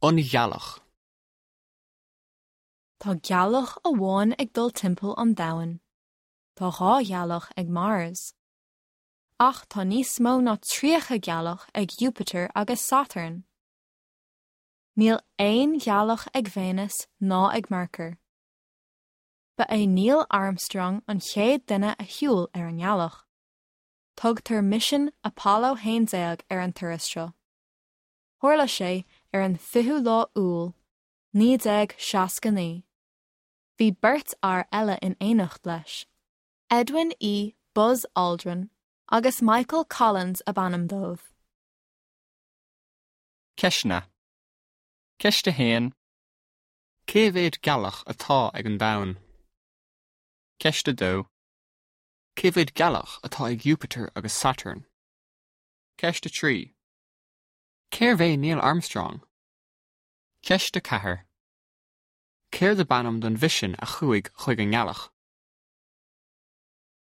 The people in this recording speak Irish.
An Ghealach. Tá gealach amháin ag dul timpeall an domhain. Tá 2 ghealach ag Mars. Ach tá níos mó ná 30 gealach ag Iúpatar agus Satarn. Níl aon ghealach ag Véineas ná ag Mearcair. Ba é Neil Armstrong an chéad duine a shiúil ar an ngealach. Tugtar misean Apollo 11 ar an turas seo. Tharla sé ar an 20ú lá Iúil, 1969. Bhí beirt fhear eile in éineacht leis, Edwin E. Buzz Aldrin agus Michael Collins ab ainm dóibh. Ceisteanna. Ceist 1. Cé mhéad gealach atá ag an Domhan? Ceist 2. Cé mhéad gealach atá ag Iúpatar agus Satarn? Ceist 3. Cérbh é Neil Armstrong? Ceist 4. Céard ab ainm don mhisean a chuaigh chuig an ngealach?